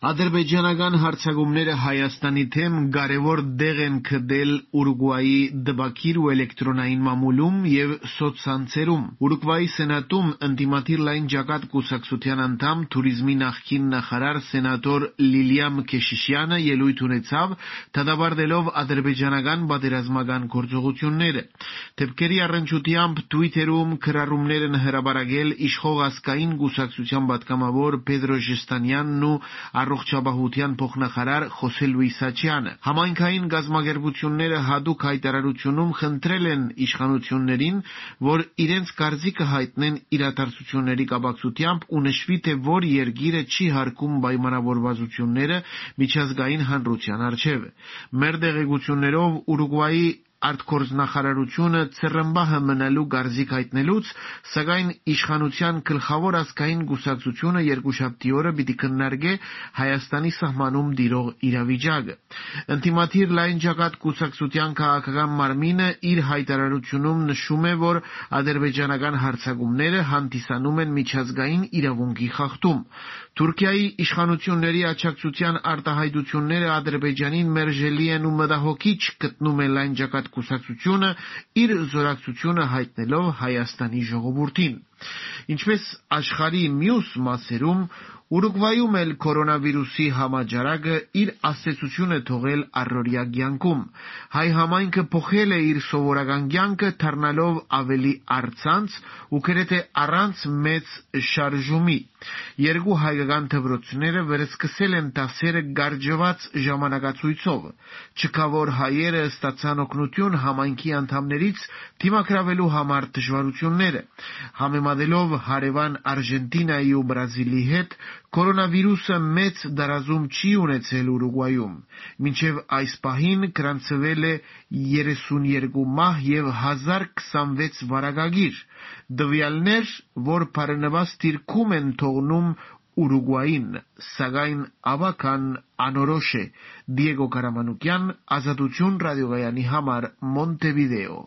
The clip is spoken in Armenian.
Ադրբեջանական հարձակումները Հայաստանի թեմ կարևոր դեղ են քդել Ուրուգվայի դեպքեր ու էլեկտրոնային մամուլում եւ սոցցանցերում։ Ուրուգվայի սենատում ընդդիմադիր լայն ջակատ կուսակցության անդամ թուրիզմի նախկին նախարար սենատոր Լիլիա Մքեշիշյանը ելույթ ունեցավ, դատապարտելով ադրբեջանական պատերազմական գործողությունները։ Դեպքերի առնչությամբ Twitter-ում քրառումներ են հրապարակել իշխող ազգային կուսակցության պատգամավոր Պետրո Ժեստանյանն ու առողջապահության փոխնախարար Խոսե Լուիս Աչյանը։ Համայնքային գազམ་ագերբությունները հատուկ հայտարարությունում խնդրել են իշխանություններին, որ իրենց կարծիքը հայտնեն իրադարձությունների կապակցությամբ ու նշվի, թե որ երկիրը չի հարգում պայմանավորվածությունները միջազգային հանրության առջև։ Մեր տեղեկություններով Ուրուգվայի արտգործնախարարությունը ծռմբահը մնալու կարծիք հայտնելուց, սակայն իշխանության գլխավոր ազգային կուսակցությունը երկուշաբթի օրը պիտի քննարկի Հայաստանի սահմանում տիրող իրավիճակը։ Ընդդիմադիր լայն ջակատ կուսակցության քաղաքական մարմինը իր հայտարարությունում նշում է, որ ադրբեջանական հարձակումները հանդիսանում են միջազգային իրավունքի խախտում։ Թուրքիայի իշխանությունների աջակցության արտահայտությունները Ադրբեջանին մերժելի են ու մտահոգիչ գտնում է լայն ջակատ կուսակցությունը, իր զորակցությունը հայտնելով Հայաստանի ժողովրդին։ Ինչպես աշխարհի մյուս մասերում, Ուրուգվայում էլ կորոնավիրուսի համաճարակը իր ազդեցությունը թողել առօրյա կյանքում։ Հայ համայնքը փոխել է իր սովորական կյանքը, դառնալով ավելի առցանց ու գրեթե առանց մեծ շարժումի։ Երկու հայկական դպրոցները վերսկսել են դասերը գարժված ժամանակացույցով։ Չքավոր հայերը ստացան օգնություն համայնքի անդամներից դիմակայելու համար դժվարությունները։ Համեմատելով հարևան Արգենտինայի ու Բրազիլի հետ, կորոնավիրուսը մեծ տարածում չի ունեցել Ուրուգվայում։ Մինչև այս պահին գրանցվել է 32 մահ եւ 1026 վարակագիր։ Տվյալներ, որ բարենպաստ դիրքում են թողնում Ուրուգվային, սակայն ավական անորոշ է։ Դիեգո Կարամանուկյան, Ազատություն ռադիոկայանի համար, Մոնտեվիդեո։